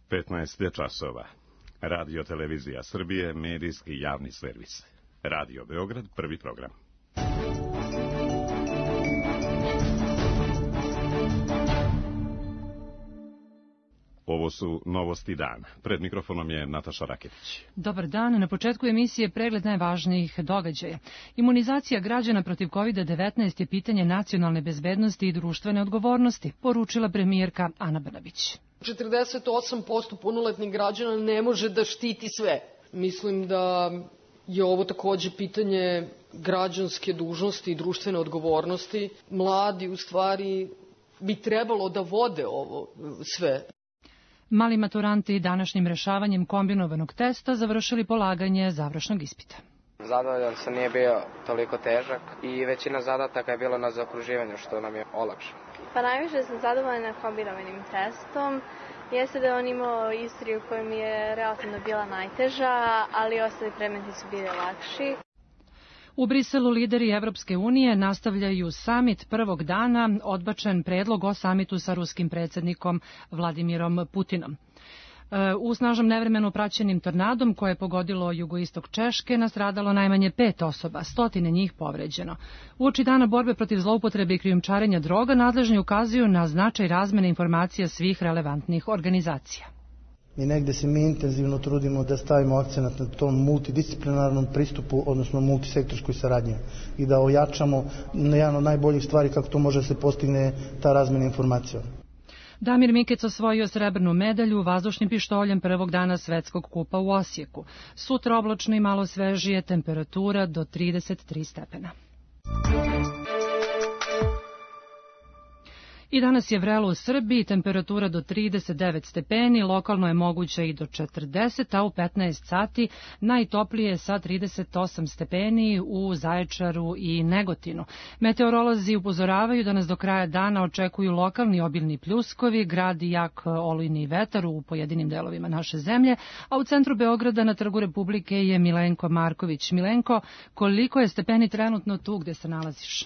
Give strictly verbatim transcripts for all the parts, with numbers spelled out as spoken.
petnaest je časova. Radio Televizija Srbije, medijski javni servis. Radio Beograd, prvi program. Ovo su novosti dana. Pred mikrofonom je Nataša Raketić. Dobar dan. Na početku emisije pregled najvažnijih događaja. Imunizacija građana protiv kovid devetnaest je pitanje nacionalne bezbednosti i društvene odgovornosti, poručila premijerka Ana Brnabić. četrdeset osam posto punoletnih građana ne može da štiti sve. Mislim da je ovo takođe pitanje građanske dužnosti i društvene odgovornosti. Mladi u stvari bi trebalo da vode ovo sve. Mali maturanti današnjim rešavanjem kombinovanog testa završili polaganje završnog ispita. Zadovoljan sam, nije bio toliko težak i većina zadataka je bilo na zaokruživanju, što nam je olakšano. Pa najviše sam zadovoljna kombinovanim testom. Jeste da on imao istoriju koja mi je relativno bila najteža, ali ostali predmeti su bili lakši. U Briselu lideri Evropske unije nastavljaju samit prvog dana, odbačen predlog o samitu sa ruskim predsjednikom Vladimirom Putinom. U snažnom nevremenu praćenim tornadom koje je pogodilo jugoistok Češke nastradalo najmanje pet osoba, stotine njih povređeno. Uoči dana borbe protiv zloupotrebe i krijumčarenja droga nadležni ukazuju na značaj razmene informacija svih relevantnih organizacija. I negde se mi intenzivno trudimo da stavimo akcenat na tom multidisciplinarnom pristupu, odnosno multisektorskoj saradnji i da ojačamo na jedan od najboljih stvari kako to može se postigne ta razmena informacija. Damir Mikec osvojio srebrnu medalju vazdušnim pištoljem prvog dana svetskog kupa u Osijeku. Sutra oblačno i malo svežije, temperatura do trideset tri stepena. I danas je vrelo u Srbiji, temperatura do trideset devet stepeni, lokalno je moguće i do četrdeset, a u petnaest sati najtoplije sa trideset osam stepeni u Zaječaru i Negotinu. Meteorolozi upozoravaju da nas do kraja dana očekuju lokalni obilni pljuskovi, gradi jak olujni vetar u pojedinim delovima naše zemlje, a u centru Beograda na Trgu Republike je Milenko Marković. Milenko, koliko je stepeni trenutno tu gde se nalaziš?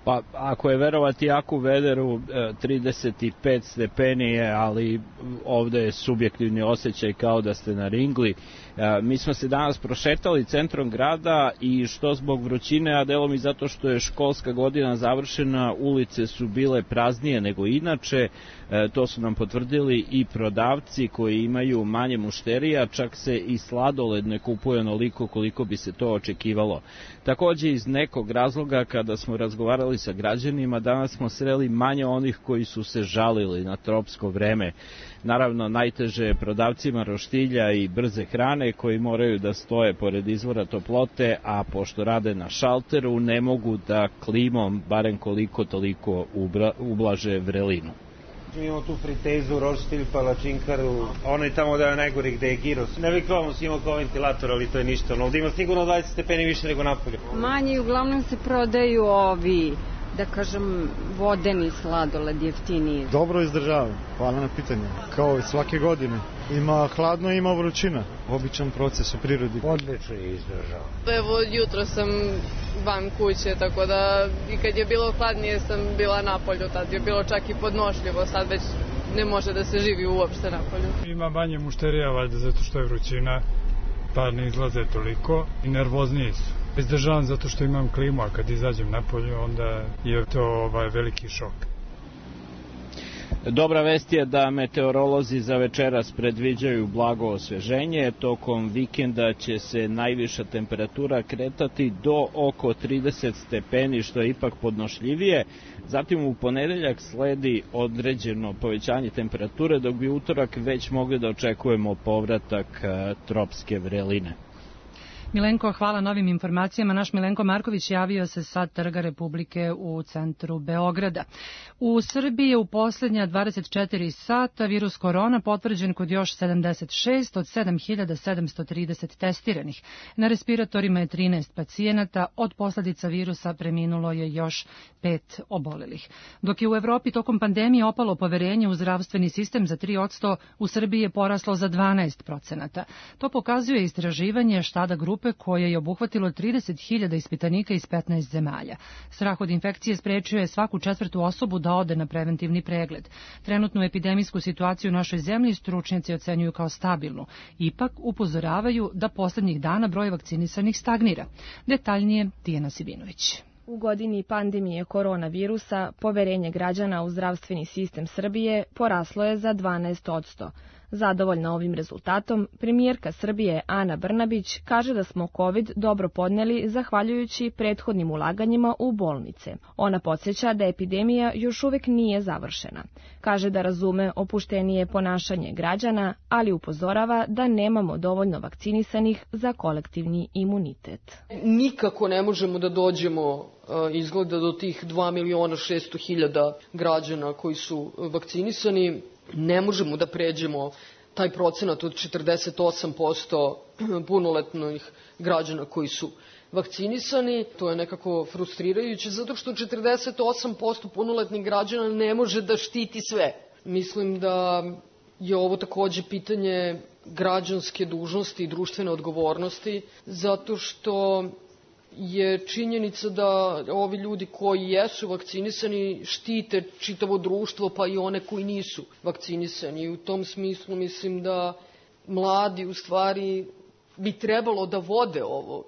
Pa, ako je verovati Jaku Vederu, trideset pet stepeni je, ali ovde je subjektivni osjećaj kao da ste na ringli. Mi smo se danas prošetali centrom grada i što zbog vrućine, a delom i zato što je školska godina završena, ulice su bile praznije nego inače. To su nam potvrdili i prodavci koji imaju manje mušterija, čak se i sladoled ne kupuje onoliko koliko bi se to očekivalo. Takođe, iz nekog razloga, kada smo razgovarali sa građanima, danas smo sreli manje onih koji su se žalili na tropsko vreme. Naravno, najteže je prodavcima roštilja i brze hrane koji moraju da stoje pored izvora toplote, a pošto rade na šalteru ne mogu da klimom barem koliko toliko ublaže vrelinu. Mi imamo tu fritezu, roštilj, palačinkaru, onaj tamo da je najgori gde je giros. Ne bih kao imao kao ventilator, ali to je ništa. Ovdje ima sigurno dvadeset stepeni više nego napolje. Manje i uglavnom se prodaju ovi, da kažem, vodeni sladoled jeftiniji. Dobro izdržavam, hvala na pitanju. Kao i svake godine. Ima hladno i ima vrućina. Običan proces u prirodi. Odlično je izdržao. Evo, jutro sam van kuće, tako da i kad je bilo hladnije sam bila napolju, tad je bilo čak i podnošljivo, sad već ne može da se živi uopšte napolju. Ima manje mušterija, valjda zato što je vrućina, pa ne izlaze toliko i nervozniji su. Izdržavam zato što imam klimu, a kad izađem napolju, onda je to ovaj veliki šok. Dobra vest je da meteorolozi za večeras predviđaju blago osveženje. Tokom vikenda će se najviša temperatura kretati do oko trideset stepeni, što je ipak podnošljivije. Zatim u ponedeljak sledi određeno povećanje temperature, dok bi utorak već mogli da očekujemo povratak tropske vreline. Milenko, hvala novim informacijama. Naš Milenko Marković javio se sa Trga Republike u centru Beograda. U Srbiji je u posljednja dvadeset četiri sata virus korona potvrđen kod još sedamdeset šest od sedam hiljada sedamsto trideset testiranih. Na respiratorima je trinaest pacijenata, od posljedica virusa preminulo je još pet obolelih. Dok je u Evropi tokom pandemije opalo poverenje u zdravstveni sistem za tri posto, u Srbiji je poraslo za dvanaest procenata. To pokazuje istraživanje Štada grupe grupe koje je obuhvatilo trideset hiljada ispitanika iz petnaest zemalja. Strah od infekcije sprečio je svaku četvrtu osobu da ode na preventivni pregled. Trenutnu epidemijsku situaciju u našoj zemlji stručnjaci ocenjuju kao stabilnu. Ipak upozoravaju da poslednjih dana broj vakcinisanih stagnira. Detaljnije Tijana Sibinović. U godini pandemije koronavirusa poverenje građana u zdravstveni sistem Srbije poraslo je za dvanaest posto. Zadovoljna ovim rezultatom, premijerka Srbije Ana Brnabić kaže da smo COVID dobro podneli zahvaljujući prethodnim ulaganjima u bolnice. Ona podsjeća da epidemija još uvek nije završena. Kaže da razume opuštenije ponašanje građana, ali upozorava da nemamo dovoljno vakcinisanih za kolektivni imunitet. Nikako ne možemo da dođemo izgleda do tih dva miliona šesto hiljada građana koji su vakcinisani. Ne možemo da pređemo taj procenat od četrdeset osam posto punoletnih građana koji su vakcinisani. To je nekako frustrirajuće zato što četrdeset osam posto punoletnih građana ne može da štiti sve. Mislim da je ovo takođe pitanje građanske dužnosti i društvene odgovornosti zato što je činjenica da ovi ljudi koji jesu vakcinisani štite čitavo društvo, pa i one koji nisu vakcinisani. I u tom smislu mislim da mladi u stvari bi trebalo da vode ovo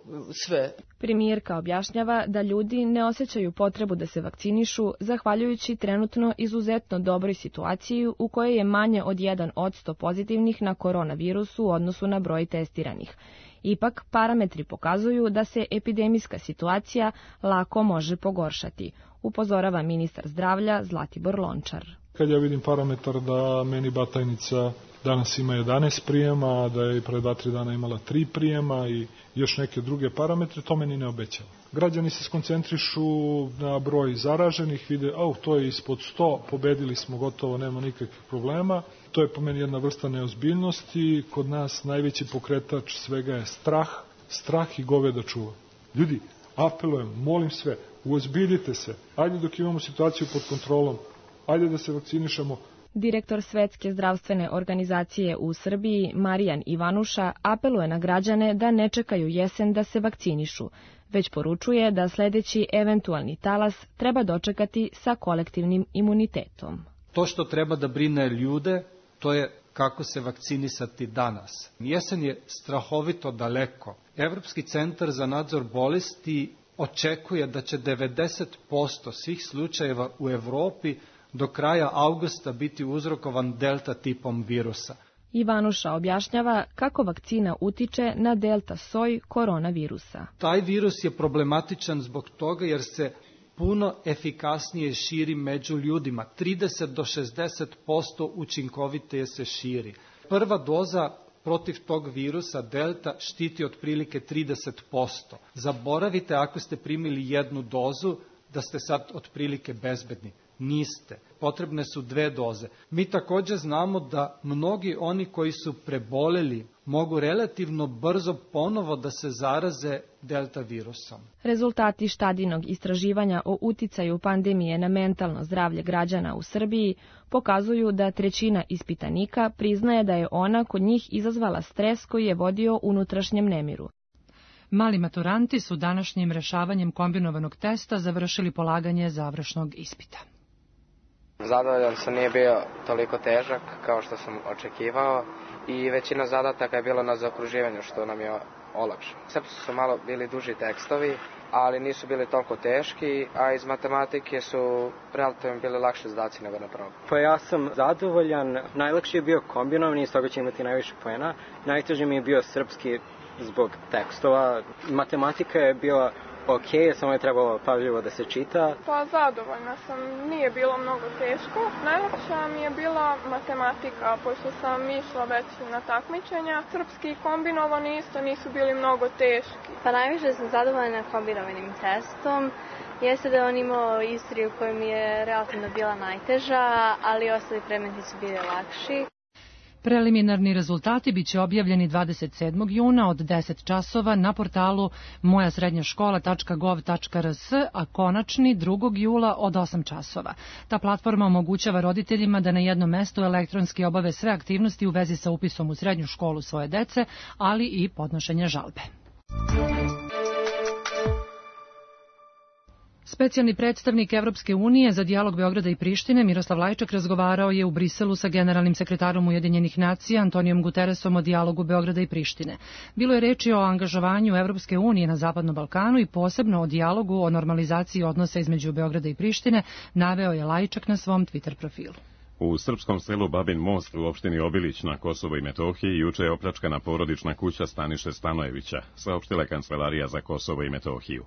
sve. Premijerka objašnjava da ljudi ne osjećaju potrebu da se vakcinišu zahvaljujući trenutno izuzetno dobroj situaciji u kojoj je manje od jedan posto pozitivnih na koronavirusu u odnosu na broj testiranih. Ipak, parametri pokazuju da se epidemijska situacija lako može pogoršati, upozorava ministar zdravlja Zlatibor Lončar. Kad ja vidim parametar da meni Batajnica danas ima jedanaest prijema, da je pre dva tri dana imala tri prijema i još neke druge parametre, to meni ne obećava. Građani se skoncentrišu na broj zaraženih, vide, au, to je ispod sto, pobedili smo, gotovo, nema nikakvih problema. To je po meni jedna vrsta neozbiljnosti. Kod nas najveći pokretač svega je strah, strah i goveda čuva. Ljudi, apelujem, molim sve, uozbiljite se, ajde dok imamo situaciju pod kontrolom, ajde da se vakcinišemo. Direktor Svetske zdravstvene organizacije u Srbiji, Marijan Ivanuša, apeluje na građane da ne čekaju jesen da se vakcinišu, već poručuje da sledeći eventualni talas treba dočekati sa kolektivnim imunitetom. To što treba da brine ljude, to je kako se vakcinisati danas. Jesen je strahovito daleko. Evropski centar za nadzor bolesti očekuje da će devedeset posto svih slučajeva u Evropi do kraja avgusta biti uzrokovan delta tipom virusa. Ivanuša objašnjava kako vakcina utiče na delta soj koronavirusa. Taj virus je problematičan zbog toga jer se puno efikasnije širi među ljudima. trideset do šezdeset posto učinkovitije se širi. Prva doza protiv tog virusa delta štiti otprilike trideset posto. Zaboravite ako ste primili jednu dozu da ste sad otprilike bezbedni. Niste. Potrebne su dve doze. Mi također znamo da mnogi oni koji su preboleli mogu relativno brzo ponovo da se zaraze delta virusom. Rezultati štadinog istraživanja o uticaju pandemije na mentalno zdravlje građana u Srbiji pokazuju da trećina ispitanika priznaje da je ona kod njih izazvala stres koji je vodio unutrašnjem nemiru. Mali maturanti su današnjim rešavanjem kombinovanog testa završili polaganje završnog ispita. Zadovoljan sam, nije bio toliko težak kao što sam očekivao i većina zadataka je bila na zaokruživanju što nam je olakšano. Sve su malo bili duži tekstovi, ali nisu bili toliko teški, a iz matematike su relativno bili lakše zadaci nego na probu. Pa ja sam zadovoljan, najlakši je bio kombinovani, iz toga će imati najviše poena. Najteži mi je bio srpski zbog tekstova. Matematika je bila ok, samo je trebalo pažljivo da se čita. Pa zadovoljna sam, nije bilo mnogo teško. Najlakša mi je bila matematika, pošto sam išla već na takmičenja. Srpski kombinovani isto nisu bili mnogo teški. Pa najviše sam zadovoljna kombinovanim testom. Jeste da on imao istoriju koja mi je relativno bila najteža, ali ostali predmeti su bili lakši. Preliminarni rezultati biće objavljeni dvadeset sedmog juna od deset časova na portalu moja srednja škola tačka gov tačka rs, a konačni drugog jula od osam časova. Ta platforma omogućava roditeljima da na jednom mestu elektronski obave sve aktivnosti u vezi sa upisom u srednju školu svoje dece, ali i podnošenje žalbe. Specijalni predstavnik Evropske unije za dijalog Beograda i Prištine Miroslav Lajčak razgovarao je u Briselu sa generalnim sekretarom Ujedinjenih nacija Antonijom Guteresom o dijalogu Beograda i Prištine. Bilo je reči o angažovanju Evropske unije na Zapadnom Balkanu i posebno o dijalogu o normalizaciji odnosa između Beograda i Prištine, naveo je Lajčak na svom Twitter profilu. U srpskom selu Babin Most u opštini Obilić na Kosovo i Metohiji juče je opljačkana porodična kuća Staniše Stanojevića, saopštila je Kancelarija za Kosovo i Metohiju.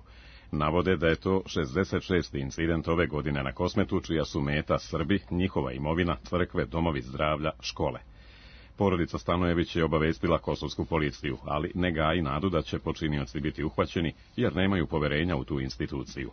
Navode da je to šezdeset šesti incident ove godine na Kosmetu, čija su meta Srbi, njihova imovina, crkve, domovi zdravlja, škole. Porodica Stanojević je obavestila kosovsku policiju, ali ne gaji nadu da će počinioci biti uhvaćeni, jer nemaju poverenja u tu instituciju.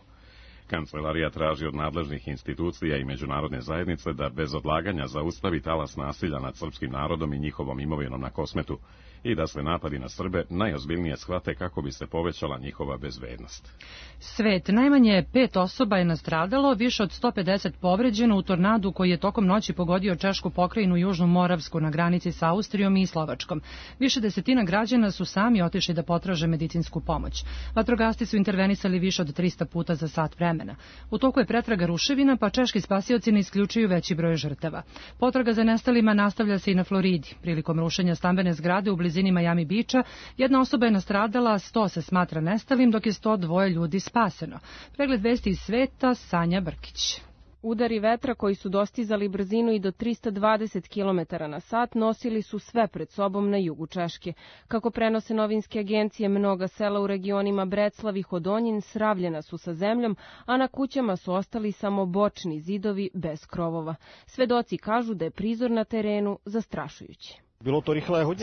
Kancelarija traži od nadležnih institucija i međunarodne zajednice da bez odlaganja zaustavi talas nasilja nad srpskim narodom i njihovom imovinom na Kosmetu i da se napadi na Srbe najozbiljnije shvate kako bi se povećala njihova bezbednost. Svet, najmanje pet osoba je nastradalo, više od sto pedeset povređeno u tornadu koji je tokom noći pogodio Češku pokrajinu Južnu Moravsku na granici sa Austrijom i Slovačkom. Više desetina građana su sami otišli da potraže medicinsku pomoć. Vatrogasci su intervenisali više od trista puta za sat vremena. U toku je pretraga ruševina, pa češki spasioci ne isključuju veći broj žrtava. Potraga za nestalima nastavlja se i na Floridi. Prilikom rušenja stambene zgrade u blizini Miami Beacha, jedna osoba je nastradala, sto se smatra nestalim, dok je sto dva ljudi spaseno. Pregled vesti iz sveta, Sanja Brkić. Udari vetra koji su dostizali brzinu i do trista dvadeset kilometara na sat nosili su sve pred sobom na jugu Češke. Kako prenose novinske agencije, mnoga sela u regionima Breclav i Hodonjin sravljena su sa zemljom, a na kućama su ostali samo bočni zidovi bez krovova. Svedoci kažu da je prizor na terenu zastrašujući.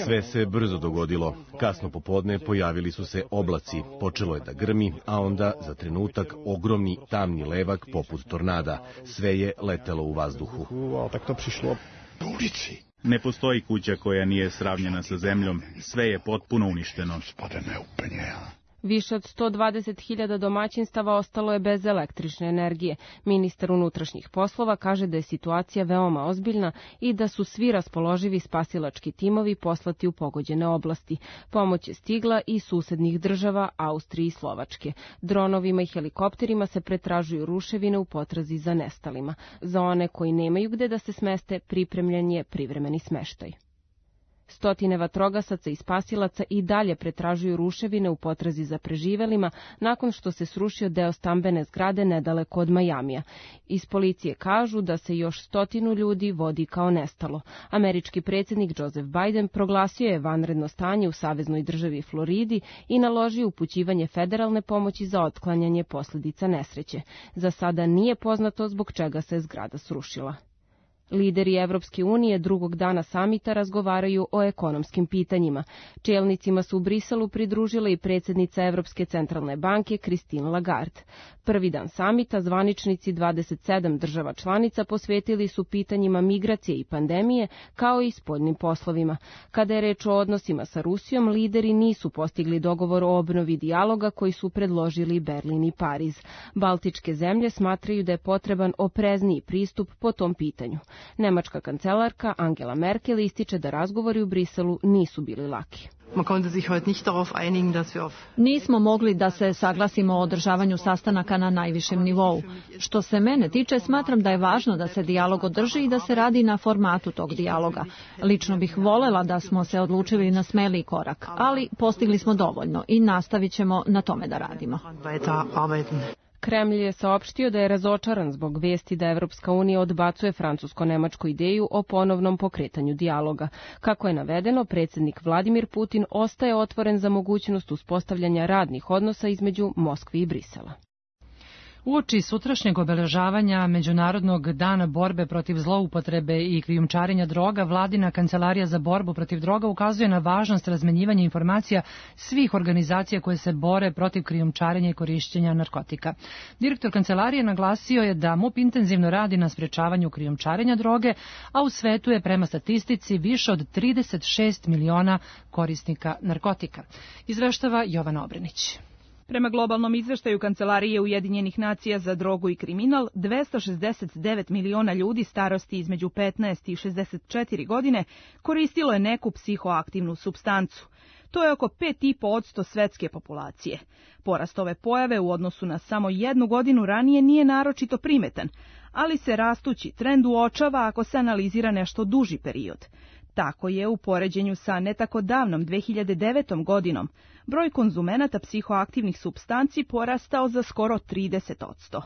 Sve se brzo dogodilo. Kasno popodne pojavili su se oblaci, počelo je da grmi, a onda za trenutak ogromni tamni levak poput tornada. Sve je letelo u vazduhu. Ne postoji kuća koja nije sravnjena sa zemljom, sve je potpuno uništeno. Više od sto dvadeset hiljada domaćinstava ostalo je bez električne energije. Ministar unutrašnjih poslova kaže da je situacija veoma ozbiljna i da su svi raspoloživi spasilački timovi poslati u pogođene oblasti. Pomoć je stigla i susednih država, Austrije i Slovačke. Dronovima i helikopterima se pretražuju ruševine u potrazi za nestalima. Za one koji nemaju gde da se smeste, pripremljen je privremeni smeštaj. Stotine vatrogasaca i spasilaca i dalje pretražuju ruševine u potrazi za preživelima nakon što se srušio deo stambene zgrade nedaleko od Majamija. Iz policije kažu da se još stotinu ljudi vodi kao nestalo. Američki predsjednik Joseph Biden proglasio je vanredno stanje u saveznoj državi Floridi i naložio upućivanje federalne pomoći za otklanjanje posljedica nesreće. Za sada nije poznato zbog čega se zgrada srušila. Lideri Evropske unije drugog dana samita razgovaraju o ekonomskim pitanjima. Čelnicima su u Briselu pridružile i predsjednica Evropske centralne banke Christine Lagarde. Prvi dan samita zvaničnici dvadeset sedam država članica posvetili su pitanjima migracije i pandemije, kao i spoljnim poslovima. Kada je reč o odnosima sa Rusijom, lideri nisu postigli dogovor o obnovi dijaloga koji su predložili Berlin i Pariz. Baltičke zemlje smatraju da je potreban oprezniji pristup po tom pitanju. Nemačka kancelarka Angela Merkel ističe da razgovori u Briselu nisu bili laki. Nismo mogli da se saglasimo o održavanju sastanaka na najvišem nivou. Što se mene tiče, smatram da je važno da se dijalog održi i da se radi na formatu tog dijaloga. Lično bih volela da smo se odlučili na smeliji korak, ali postigli smo dovoljno i nastavit ćemo na tome da radimo. Kremlj je saopštio da je razočaran zbog vesti da Evropska unija odbacuje francusko-nemačku ideju o ponovnom pokretanju dijaloga. Kako je navedeno, predsjednik Vladimir Putin ostaje otvoren za mogućnost uspostavljanja radnih odnosa između Moskve i Brisela. Uoči sutrašnjeg obeležavanja Međunarodnog dana borbe protiv zloupotrebe i krijumčarenja droga, Vladina kancelarija za borbu protiv droga ukazuje na važnost razmenjivanja informacija svih organizacija koje se bore protiv krijumčarenja i korišćenja narkotika. Direktor kancelarije naglasio je da M U P intenzivno radi na sprečavanju krijumčarenja droge, a u svetu je prema statistici više od trideset šest miliona korisnika narkotika. Izveštava Jovana Obrenić. Prema globalnom izveštaju Kancelarije Ujedinjenih nacija za drogu i kriminal, dvesta šezdeset devet miliona ljudi starosti između petnaest i šezdeset četiri godine koristilo je neku psihoaktivnu supstancu. To je oko pet i po posto svetske populacije. Porast ove pojave u odnosu na samo jednu godinu ranije nije naročito primetan, ali se rastući trend uočava ako se analizira nešto duži period. Tako je u poređenju sa ne tako davnom dve hiljade devetom godinom broj konzumenata psihoaktivnih supstanci porastao za skoro trideset posto.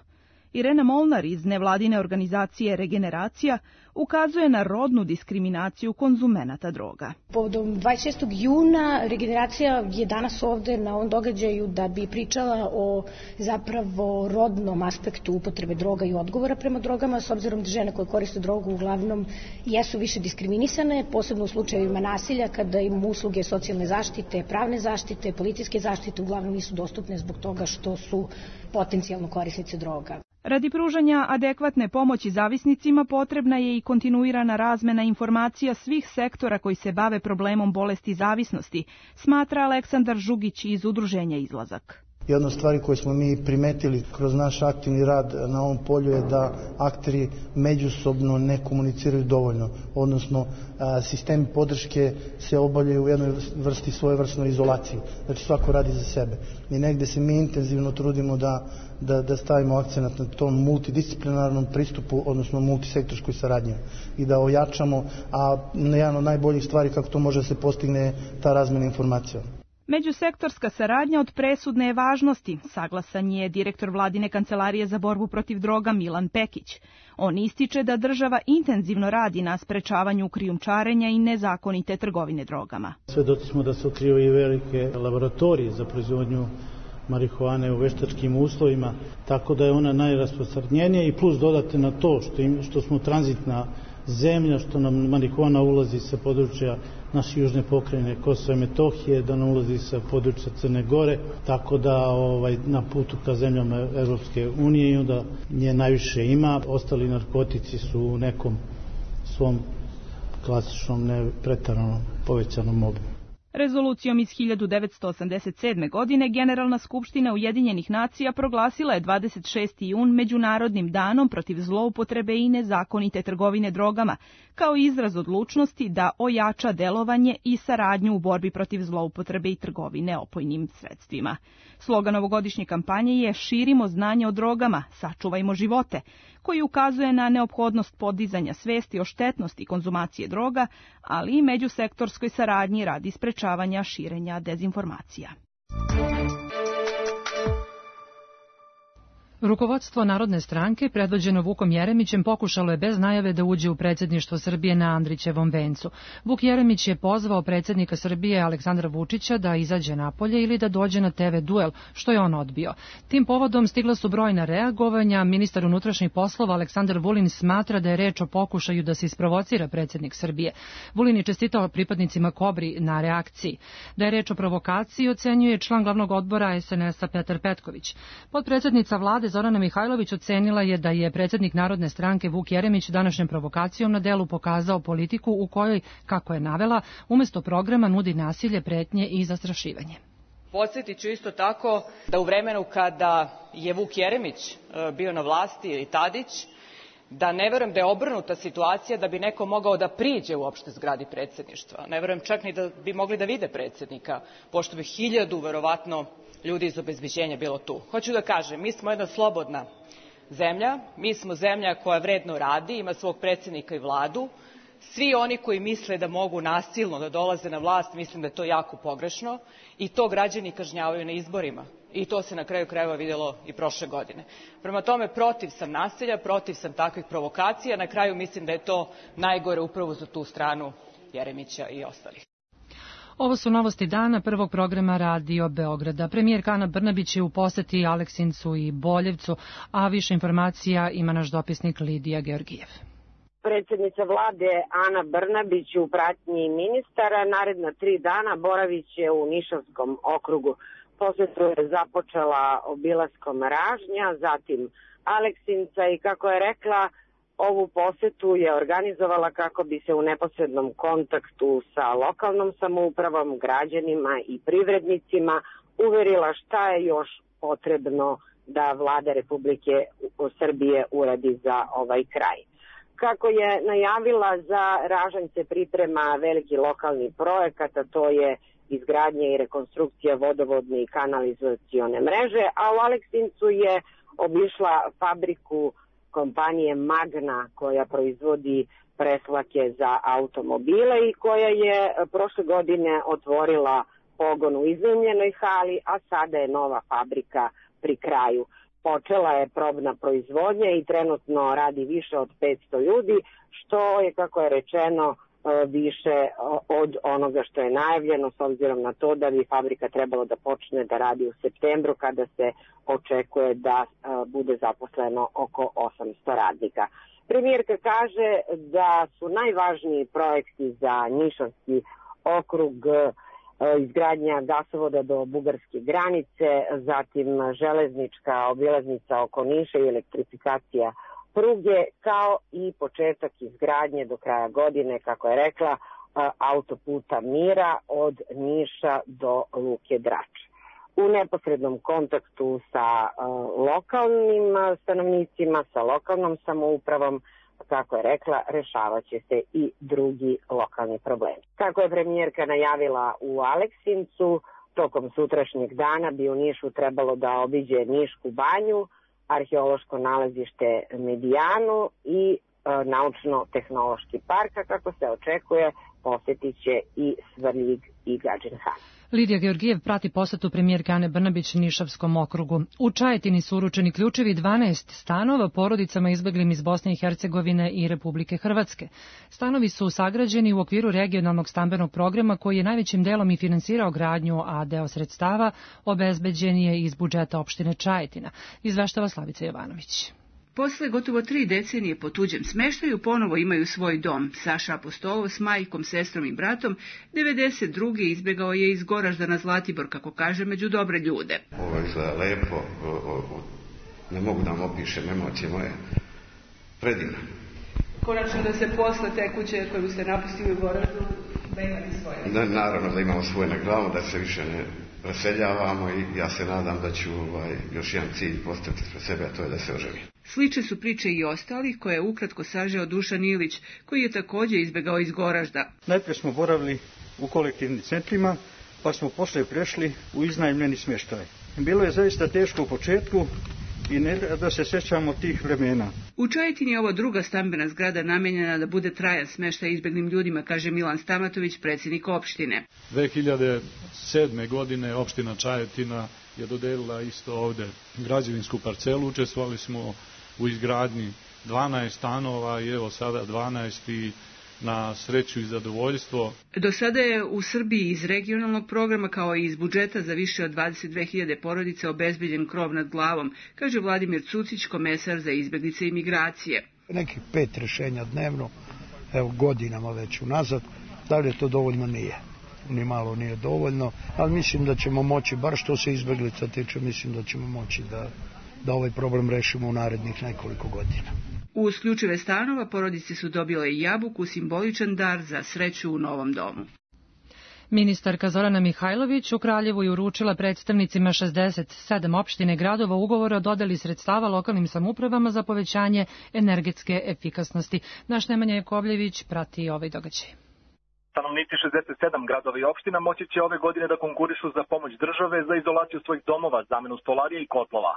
Irena Molnar iz nevladine organizacije Regeneracija ukazuje na rodnu diskriminaciju konzumenata droga. Povodom dvadeset šestog juna Regeneracija je danas ovde na ovom događaju da bi pričala o zapravo rodnom aspektu upotrebe droga i odgovora prema drogama, s obzirom da žene koje koriste drogu uglavnom jesu više diskriminisane, posebno u slučajevima nasilja, kada im usluge socijalne zaštite, pravne zaštite, policijske zaštite uglavnom nisu dostupne zbog toga što su potencijalno korisnice droga. Radi pružanja adekvatne pomoći zavisnicima potrebna je i kontinuirana razmena informacija svih sektora koji se bave problemom bolesti zavisnosti, smatra Aleksandar Žugić iz udruženja Izlazak. Jedna od stvari koje smo mi primetili kroz naš aktivni rad na ovom polju je da akteri međusobno ne komuniciraju dovoljno, odnosno sistemi podrške se obavljaju u jednoj vrsti svojevrsnoj izolaciji, znači svako radi za sebe. I negde se mi intenzivno trudimo da, da, da stavimo akcenat na tom multidisciplinarnom pristupu, odnosno multisektorskoj saradnji i da ojačamo, a jedan od najboljih stvari kako to može da se postigne je ta razmena informacija. Međusektorska saradnja od presudne je važnosti, saglasan je direktor vladine kancelarije za borbu protiv droga Milan Pekić. On ističe da država intenzivno radi na sprečavanju krijumčarenja i nezakonite trgovine drogama. Svedoci smo da se otkrivaju i velike laboratorije za proizvodnju marihuane u veštačkim uslovima, tako da je ona najrasprostranjenija i plus dodate na to što, im, što smo tranzitna zemlja, što nam marihuana ulazi sa područja naše južne pokrajine Kosova i Metohije, da nam ulazi sa područja Crne Gore, tako da ovaj, na putu ka zemljama Evropske unije i onda nje najviše ima. Ostali narkotici su u nekom svom klasičnom, ne preteranom, povećanom obimu. Rezolucijom iz hiljadu devetsto osamdeset sedme. godine Generalna skupština Ujedinjenih nacija proglasila je dvadeset šesti jun Međunarodnim danom protiv zloupotrebe i nezakonite trgovine drogama, kao izraz odlučnosti da ojača delovanje i saradnju u borbi protiv zloupotrebe i trgovine opojnim sredstvima. Slogan ovogodišnje kampanje je Širimo znanje o drogama, sačuvajmo živote, koji ukazuje na neophodnost podizanja svesti o štetnosti konzumacije droga, ali i međusektorskoj saradnji radi sprečavanja širenja dezinformacija. Rukovodstvo Narodne stranke, predvođeno Vukom Jeremićem, pokušalo je bez najave da uđe u predsjedništvo Srbije na Andrićevom vencu. Vuk Jeremić je pozvao predsjednika Srbije Aleksandra Vučića da izađe napolje ili da dođe na te ve duel, što je on odbio. Tim povodom stigla su brojna reagovanja. Ministar unutrašnjih poslova Aleksandar Vulin smatra da je reč o pokušaju da se isprovocira predsjednik Srbije. Vulin je čestitao pripadnicima Kobri na reakciji. Da je reč o provokaciji ocenjuje član glavnog odbora es en es a Petar Petković. Potpredsjednica vlade Zorana Mihajlović ocenila je da je predsjednik Narodne stranke Vuk Jeremić današnjom provokacijom na delu pokazao politiku u kojoj, kako je navela, umjesto programa nudi nasilje, pretnje i zastrašivanje. Podsjetit ću isto tako da u vremenu kada je Vuk Jeremić bio na vlasti ili Tadić, da ne verujem da je obrnuta situacija da bi neko mogao da priđe uopšte zgradi predsjedništva. Ne verujem čak ni da bi mogli da vide predsjednika, pošto bi hiljadu verovatno ljudi iz obezbeđenja bilo tu. Hoću da kažem, mi smo jedna slobodna zemlja, mi smo zemlja koja vredno radi, ima svog predsjednika i vladu. Svi oni koji misle da mogu nasilno da dolaze na vlast, mislim da je to jako pogrešno i to građani kažnjavaju na izborima. I to se na kraju krajeva vidjelo i prošle godine. Prema tome, protiv sam nasilja, protiv sam takvih provokacija, na kraju mislim da je to najgore upravo za tu stranu Jeremića i ostalih. Ovo su novosti dana prvog programa Radio Beograda. Premijerka Ana Brnabić je u poseti Aleksincu i Boljevcu, a više informacija ima naš dopisnik Lidija Georgijev. Predsjednica vlade Ana Brnabić u pratnji ministara naredna tri dana boravit će u Nišavskom okrugu. Posetu je započela obilaskom Ražnja, zatim Aleksinca i kako je rekla, ovu posetu je organizovala kako bi se u neposrednom kontaktu sa lokalnom samoupravom, građanima i privrednicima uverila šta je još potrebno da vlada Republike Srbije uradi za ovaj kraj. Kako je najavila, za Ražanj se priprema veliki lokalni projekat, a to je izgradnja i rekonstrukcija vodovodne i kanalizacione mreže, a u Aleksincu je obišla fabriku kompanije Magna koja proizvodi preslake za automobile i koja je prošle godine otvorila pogon u iznajmljenoj hali, a sada je nova fabrika pri kraju. Počela je probna proizvodnja i trenutno radi više od petsto ljudi, što je, kako je rečeno, više od onoga što je najavljeno, s obzirom na to da bi fabrika trebalo da počne da radi u septembru, kada se očekuje da bude zaposleno oko osamsto radnika. Premijerka kaže da su najvažniji projekti za Nišavski okrug izgradnja gasovoda do bugarske granice, zatim železnička obilaznica oko Niša i elektrifikacija pruge, kao i početak izgradnje do kraja godine, kako je rekla, autoputa Mira od Niša do Luke Drač. U neposrednom kontaktu sa lokalnim stanovnicima, sa lokalnom samoupravom, kako je rekla, rešavaće se i drugi lokalni problemi. Kako je premijerka najavila u Aleksincu, tokom sutrašnjeg dana bi u Nišu trebalo da obiđe Nišku banju, arheološko nalazište Medijanu i e, naučno-tehnološki park, a kako se očekuje, posjetit će i Svrljig i Gadžin Han. Lidija Georgijev prati posetu premijerke Ane Brnabić Nišavskom okrugu. U Čajetini su uručeni ključevi dvanaest stanova porodicama izbeglim iz Bosne i Hercegovine i Republike Hrvatske. Stanovi su sagrađeni u okviru regionalnog stambenog programa koji je najvećim delom i finansirao gradnju, a deo sredstava obezbeđen je iz budžeta opštine Čajetina, izveštava Slavica Jovanović. Posle gotovo tri decenije po tuđem smeštaju ponovo imaju svoj dom. Saša Apostolov s majkom, sestrom i bratom devedeset druge izbegao je iz Goražda na Zlatibor, kako kaže, među dobre ljude. Ovo izgleda lepo, o, o, o, ne mogu da vam opišem emocije moje, predivno. Konačno da se posle te kuće koju ste napustili u Goraždu, da imate svoje. Da, naravno da imamo svoje na glavu, da se više ne preseljavamo i ja se nadam da ću ovaj, još jedan cilj postaviti pre sebe, a to je da se oženi. Slične su priče i ostalih, koje je ukratko sažeo Dušan Ilić, koji je takođe izbegao iz Goražda. Najprije smo boravili u kolektivnim centrima, pa smo posle prešli u iznajmljeni smještaj. Bilo je zaista teško u početku i ne da se sećamo tih vremena. U Čajetini je ovo druga stambena zgrada namenjena da bude trajan smeštaj izbeglim ljudima, kaže Milan Stamatović, predsjednik opštine. dve hiljade sedme. godine opština Čajetina je dodelila isto ovde građevinsku parcelu. Učestvovali smo u izgradnji dvanaest stanova i evo sada dvanaest i na sreću i zadovoljstvo. Do sada je u Srbiji iz regionalnog programa kao i iz budžeta za više od dvadeset dve hiljade porodica obezbeđen krov nad glavom, kaže Vladimir Cucić, komesar za izbeglice i migracije. Nekih pet rešenja dnevno, evo godinama već unazad, da li je to dovoljno? Nije. Ni malo nije dovoljno, ali mislim da ćemo moći, bar što se izbeglica tiče, mislim da ćemo moći da, da ovaj problem rešimo u narednih nekoliko godina. Uz ključeve stanova porodice su dobile i jabuku, simboličan dar za sreću u novom domu. Ministarka Zorana Mihajlović u Kraljevu je uručila predstavnicima šezdeset sedam opštine gradova ugovora o dodeli sredstava lokalnim samoupravama za povećanje energetske efikasnosti. Naš Nemanja Jakovljević prati ovaj događaj. Stanovnici šezdeset sedam gradova i opština moći će ove godine da konkurišu za pomoć države za izolaciju svojih domova, zamenu stolarije i kotlova.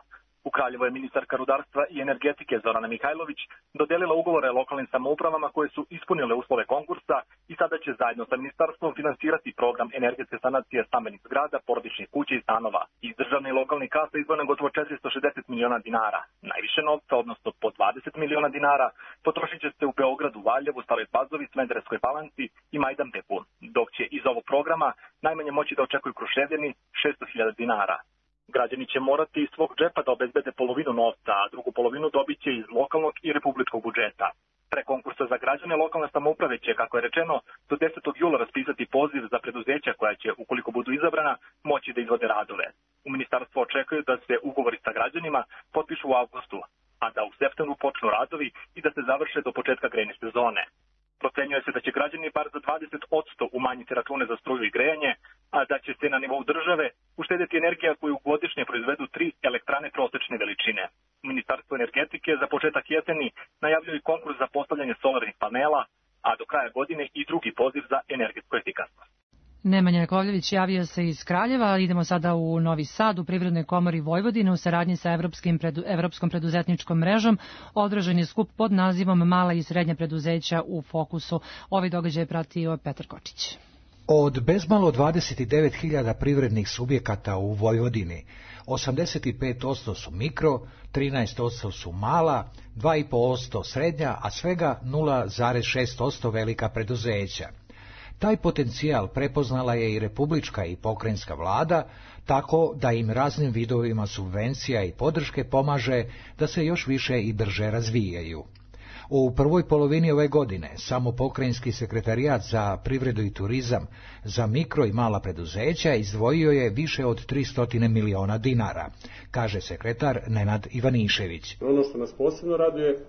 U Kraljevu je ministarka rudarstva i energetike Zorana Mihajlović dodelila ugovore lokalnim samoupravama koje su ispunile uslove konkursa i sada će zajedno sa ministarstvom finansirati program energetske sanacije stambenih zgrada, porodičnih kuća i stanova. Iz državne i lokalne kase izdvojeno gotovo četiristo šezdeset miliona dinara. Najviše novca, odnosno po dvadeset miliona dinara, potrošit će se u Beogradu, Valjevu, Staroj Pazovi, Smederevskoj Palanci i Majdanpeku, dok će iz ovog programa najmanje moći da očekuju Kruševljani šesto hiljada dinara. Građani će morati iz svog džepa da obezbede polovinu novca, a drugu polovinu dobit će iz lokalnog i republičkog budžeta. Pre konkursa za građane lokalne samouprave će, kako je rečeno, do desetog jula raspisati poziv za preduzeća koja će, ukoliko budu izabrana, moći da izvode radove. U ministarstvu očekuju da se ugovori sa građanima potpišu u avgustu, a da u septembru počnu radovi i da se završe do početka grejne sezone. Procenjuje se da će građani bar za dvadeset posto umanjiti račune za struju i grejanje, a da će se na nivou države uštedeti energija koju godišnje proizvedu tri elektrane prosečne veličine. Ministarstvo energetike za početak jeseni najavljuje i konkurs za postavljanje solarnih panela, a do kraja godine i drugi poziv za energetsku efikasnost. Nemanja Jakovljević javio se iz Kraljeva. Idemo sada u Novi Sad. U Privrednoj komori Vojvodine u saradnji sa Evropskim predu, Evropskom preduzetničkom mrežom održan je skup pod nazivom Mala i srednja preduzeća u fokusu. Ovaj događaj je pratio Petar Kočić. Od bezmalo dvadeset devet hiljada privrednih subjekata u Vojvodini, osamdeset pet posto su mikro, trinaest posto su mala, dva i po posto srednja, a svega nula zarez šest posto velika preduzeća. Taj potencijal prepoznala je i republička i pokrajinska vlada, tako da im raznim vidovima subvencija i podrške pomaže da se još više i brže razvijaju. U prvoj polovini ove godine samo pokrajinski sekretarijat za privredu i turizam za mikro i mala preduzeća izdvojio je više od tristo miliona dinara, kaže sekretar Nenad Ivanišević. Ono što nas posebno raduje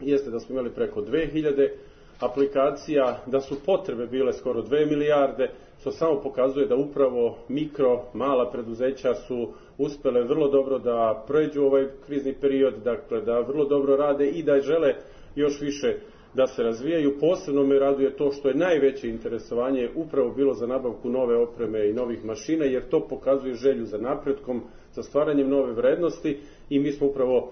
jeste da smo imali preko dve hiljade aplikacija, da su potrebe bile skoro dve milijarde, što samo pokazuje da upravo mikro, mala preduzeća su uspele vrlo dobro da prođu ovaj krizni period, dakle da vrlo dobro rade i da žele još više da se razvijaju. Posebno me raduje to što je najveće interesovanje upravo bilo za nabavku nove opreme i novih mašina, jer to pokazuje želju za napretkom, za stvaranjem nove vrednosti i mi smo upravo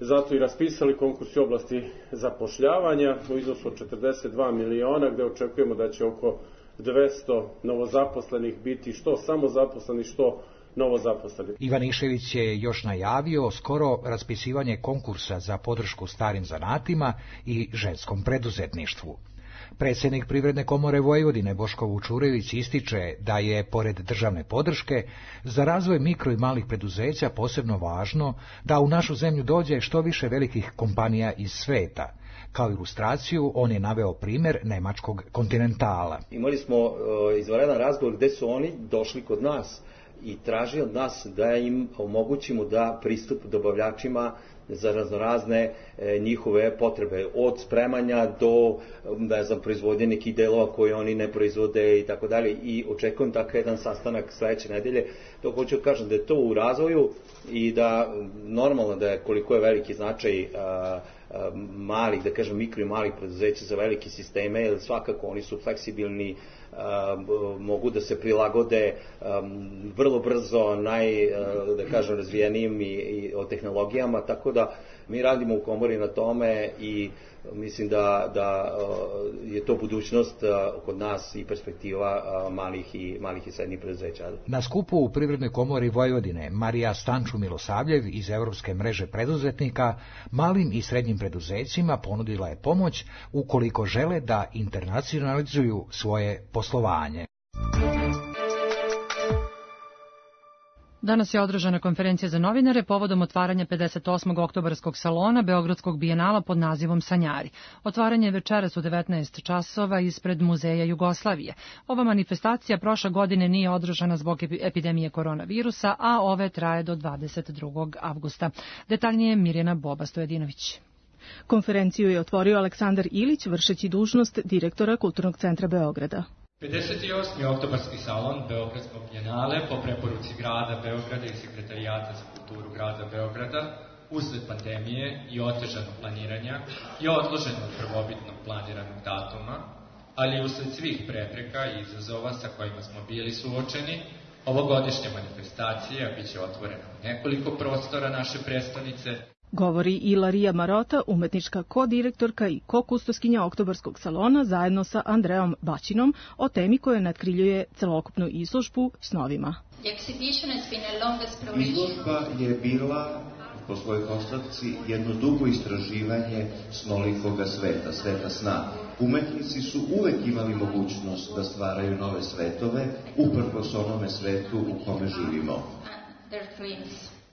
zato i raspisali konkurs u oblasti zapošljavanja u iznosu od četrdeset dva miliona, gde očekujemo da će oko dvesta novozaposlenih biti što samozaposlenih, što novozaposleni. Ivanišević je još najavio skoro raspisivanje konkursa za podršku starim zanatima i ženskom preduzetništvu. Predsjednik Privredne komore Vojvodine Boško Vučurević ističe da je, pored državne podrške, za razvoj mikro i malih preduzeća posebno važno da u našu zemlju dođe što više velikih kompanija iz sveta. Kao ilustraciju on je naveo primjer nemačkog Kontinentala. Imali smo uh, izvanredan razgovor gde su oni došli kod nas i tražili od nas da im omogućimo da pristup dobavljačima za raznorazne e, njihove potrebe, od spremanja do, ne znam, proizvodnje nekih delova koje oni ne proizvode i tako dalje, i očekujem takav jedan sastanak sledeće nedelje. To hoću da kažem da je to u razvoju i da normalno da je koliko je veliki značaj a, a, malih, da kažem mikro i malih preduzeća za velike sisteme, jer svakako oni su fleksibilni, Uh, mogu da se prilagode um, vrlo brzo naj, uh, da kažem, razvijenijim i, i o tehnologijama, tako da mi radimo u komori na tome i mislim da, da uh, je to budućnost uh, kod nas i perspektiva uh, malih i malih i srednjih preduzeća. Na skupu u Privrednoj komori Vojvodine Marija Stanču Milosavljev iz Evropske mreže preduzetnika malim i srednjim preduzećima ponudila je pomoć ukoliko žele da internacionalizuju svoje poslovanje. Danas je održana konferencija za novinare povodom otvaranja pedeset osmog oktobarskog salona Beogradskog bijenala pod nazivom Sanjari. Otvaranje je večeras u devetnaest časova ispred Muzeja Jugoslavije. Ova manifestacija prošle godine nije održana zbog epidemije koronavirusa, a ove traje do dvadeset drugog avgusta. Detaljnije Mirjana Boba Stojedinović. Konferenciju je otvorio Aleksandar Ilić, vršeći dužnost direktora Kulturnog centra Beograda. pedeset osmi oktobarski salon Beogradskog bijenale po preporuci grada Beograda i Sekretarijata za kulturu grada Beograda usled pandemije i otežanog planiranja je odložen od prvobitnog planiranog datuma, ali usled svih prepreka i izazova sa kojima smo bili suočeni, ovogodišnja manifestacija biće otvorena u nekoliko prostora naše prestonice. Govori i Larija Marota, umetnička kodirektorka i kokustoskinja oktobarskog salona zajedno sa Andreom Baćinom o temi koja natkriljuje celokupnu izložbu snovima. Izložba je bila po svojoj konstrukciji jedno dugo istraživanje snolikoga sveta, sveta sna. Umetnici su uvek imali mogućnost da stvaraju nove svetove, uprkos onome svetu u kome živimo.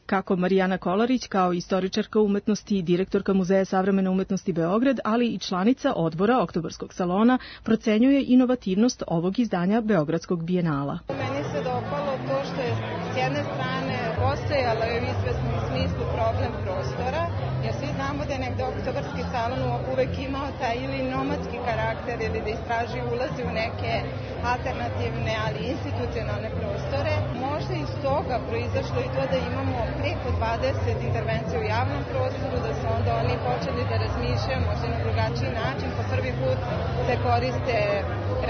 Kako Marijana Kolarić, kao istoričarka umetnosti i direktorka Muzeja savremene umetnosti Beograd, ali i članica odbora Oktobarskog salona, procenjuje inovativnost ovog izdanja Beogradskog bijenala. Meni se dopalo to što je s jedne strane postojalo je u izvesnom smislu problem prostora, jer svi znamo da je negde Oktobarski salon uvek imao taj ili nomadski karakter ili da istraži ulazi u neke alternativne, ali institucionalne prostore. Možda iz toga proizašlo i to da imamo preko dvadeset intervencija u javnom prostoru, da su onda oni počeli da razmišljaju možda na drugačiji drugačiji način. Po prvi put se koriste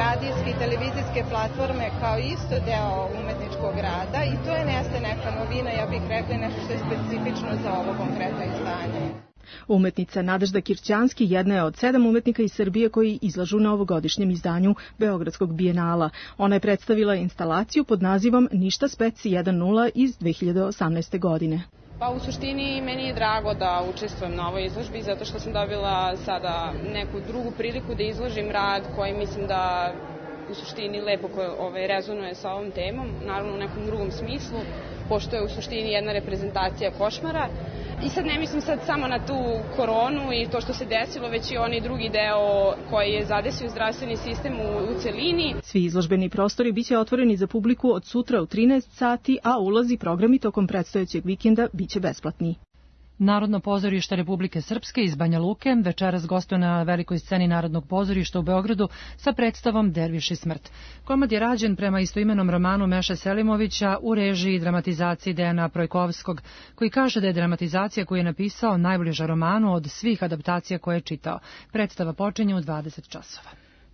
radijske i televizijske platforme kao isto deo umetničkog rada i to je neste neka novina, ja bih rekla, nešto što je specifično za ovo konkretno izdanje. Umetnica Nadežda Kirćanski jedna je od sedam umetnika iz Srbije koji izlažu na ovogodišnjem izdanju Beogradskog bijenala. Ona je predstavila instalaciju pod nazivom Ništa speci jedan nula iz dve hiljade osamnaeste. godine. Pa u suštini meni je drago da učestvujem na ovoj izložbi zato što sam dobila sada neku drugu priliku da izložim rad koji mislim da u suštini lepo ovaj, rezonuje sa ovom temom, naravno u nekom drugom smislu, pošto je u suštini jedna reprezentacija košmara. I sad ne mislim sad samo na tu koronu i to što se desilo, već i onaj drugi deo koji je zadesio zdravstveni sistem u, u celini. Svi izložbeni prostori biće otvoreni za publiku od sutra u trinaest sati, a ulazi programi tokom predstojećeg vikenda biće besplatni. Narodno pozorište Republike Srpske iz Banja Luke večeras gostuje na velikoj sceni Narodnog pozorišta u Beogradu sa predstavom Derviš i smrt. Komad je rađen prema istoimenom romanu Meše Selimovića u režiji i dramatizaciji Dejana Projkovskog, koji kaže da je dramatizacija koju je napisao najbliža romanu od svih adaptacija koje je čitao. Predstava počinje u dvadeset časova.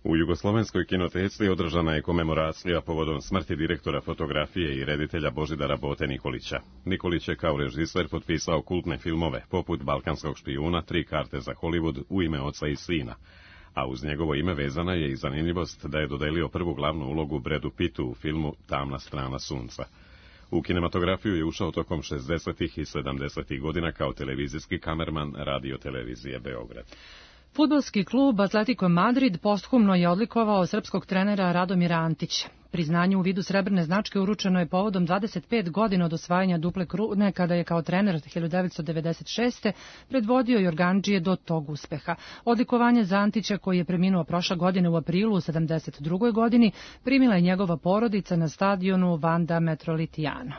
U Jugoslovenskoj kinoteci održana je komemoracija povodom smrti direktora fotografije i reditelja Božidara Bote Nikolića. Nikolić je kao režiser potpisao kultne filmove, poput Balkanskog špijuna, Tri karte za Hollywood, U ime oca i sina. A uz njegovo ime vezana je i zanimljivost da je dodelio prvu glavnu ulogu Bradu Pittu u filmu Tamna strana sunca. U kinematografiju je ušao tokom šezdesetih i sedamdesetih godina kao televizijski kamerman Radio televizije Beograd. Fudbalski klub Atletico Madrid posthumno je odlikovao srpskog trenera Radomira Antića. Priznanje u vidu srebrne značke uručeno je povodom dvadeset pet godina od osvajanja duple krune, kada je kao trener hiljadu devetsto devedeset šeste. predvodio Jorgandžije do tog uspeha. Odlikovanje za Antića, koji je preminuo prošle godine u aprilu u sedamdeset drugoj. godini, primila je njegova porodica na stadionu Vanda Metropolitano.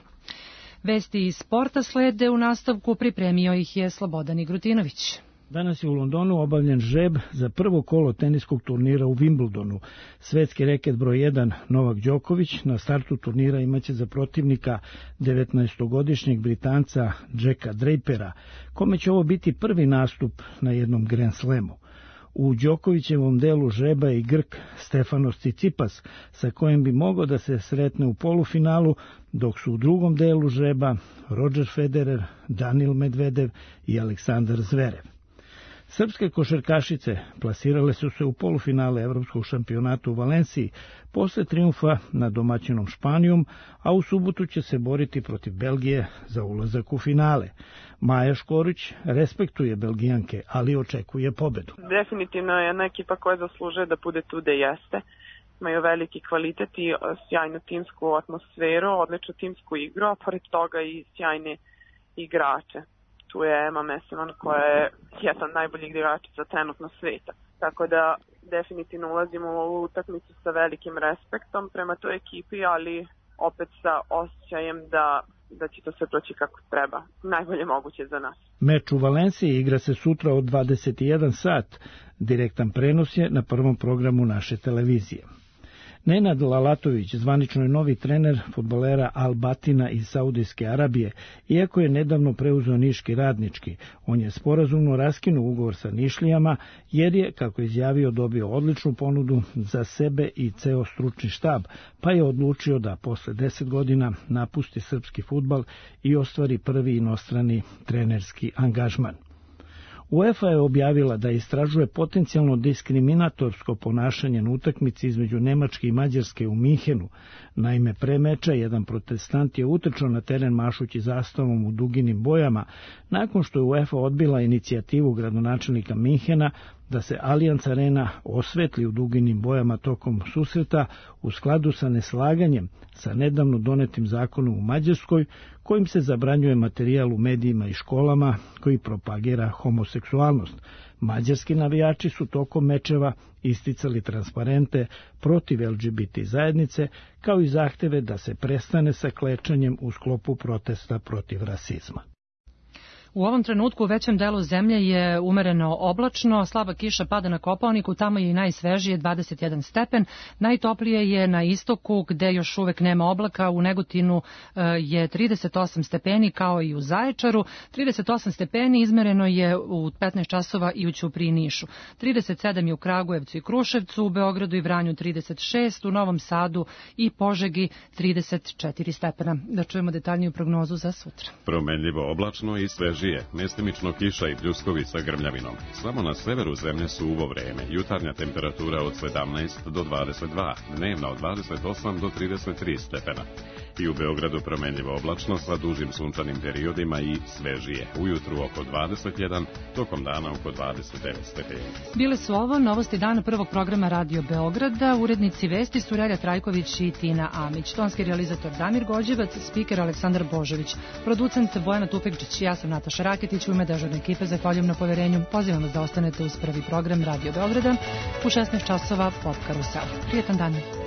Vesti iz sporta slede, u nastavku pripremio ih je Slobodan Igrutinović. Danas je u Londonu obavljen žreb za prvo kolo teniskog turnira u Wimbledonu. Svetski reket broj jedan Novak Đoković na startu turnira imaće za protivnika devetnaestogodišnjeg Britanca Jacka Drapera, kome će ovo biti prvi nastup na jednom Grand Slamu. U Đokovićevom delu žreba je i Grk Stefanos Tsitsipas, sa kojim bi mogao da se sretne u polufinalu, dok su u drugom delu žreba Roger Federer, Danil Medvedev i Aleksandar Zverev. Srpske košarkašice plasirale su se u polufinale Evropskog šampionata u Valenciji posle trijumfa nad domaćinom Španijom, a u subotu će se boriti protiv Belgije za ulazak u finale. Maja Škorić respektuje Belgijanke, ali očekuje pobedu. Definitivno je jedna ekipa koja zaslužuje da bude tu gde jeste. Imaju veliki kvalitet i sjajnu timsku atmosferu, odličnu timsku igru, a pored toga i sjajne igrače. Tu je Emma Messiman koja je jedan najboljih igrača za trenutno sveta. Tako da definitivno ulazimo u ovu utakmicu sa velikim respektom prema toj ekipi, ali opet sa osjećajem da, da će to sve proći kako treba. Najbolje moguće za nas. Meč u Valenciji igra se sutra od dvadeset jedan sat. Direktan prenos je na prvom programu naše televizije. Nenad Lalatović zvanično je novi trener fudbalera Al Batina iz Saudijske Arabije, iako je nedavno preuzeo Niški Radnički. On je sporazumno raskinuo ugovor sa Nišlijama, jer je, kako je izjavio, dobio odličnu ponudu za sebe i ceo stručni štab, pa je odlučio da posle deset godina napusti srpski fudbal i ostvari prvi inostrani trenerski angažman. UEFA je objavila da istražuje potencijalno diskriminatorsko ponašanje na utakmici između Nemačke i Mađarske u Minhenu. Naime, pre meča jedan protestant je utrčao na teren mašući zastavom u duginim bojama, nakon što je UEFA odbila inicijativu gradonačelnika Minhena da se Allianz Arena osvetli u duginim bojama tokom susreta u skladu sa neslaganjem sa nedavno donetim zakonom u Mađarskoj, kojim se zabranjuje materijal u medijima i školama koji propagira homoseksualnost. Mađarski navijači su tokom mečeva isticali transparente protiv L G B T zajednice, kao i zahteve da se prestane sa klečanjem u sklopu protesta protiv rasizma. U ovom trenutku u većem delu zemlje je umereno oblačno, slaba kiša pada na Kopaoniku, tamo je i najsvežije dvadeset jedan stepen, najtoplije je na istoku gde još uvek nema oblaka, u Negotinu je trideset osam stepeni kao i u Zaječaru, trideset osam stepeni izmereno je u petnaest časova i u Ćupriji i Nišu, trideset sedam je u Kragujevcu i Kruševcu, u Beogradu i Vranju trideset šest, u Novom Sadu i Požegi trideset četiri stepena. Da čujemo detaljniju prognozu za sutra. Promenljivo oblačno i svežije, mestimično kiša i pljuskovi sa grmljavinom. Samo na severu zemlje suvo vreme, jutarnja temperatura od sedamnaest do dvadeset dva, dnevna od dvadeset osam do trideset tri stepena. I u Beogradu promenljivo oblačno sa dužim sunčanim periodima i svežije. Ujutru oko dvadeset jedan, tokom dana oko dvadeset devet stepeni. Bile su ovo novosti dana prvog programa Radio Beograda. Urednici vesti su Relja Trajković i Tina Amić. Tonski realizator Damir Gođevac, spiker Aleksandar Božović, producent Bojana Tupekčić, ja sam Nataša Raketić, u ime dežurne ekipe zahvaljujem na poverenju. Pozivam vas da ostanete uz prvi program Radio Beograda u šesnaest časova pod Karusel. Prijetan dan.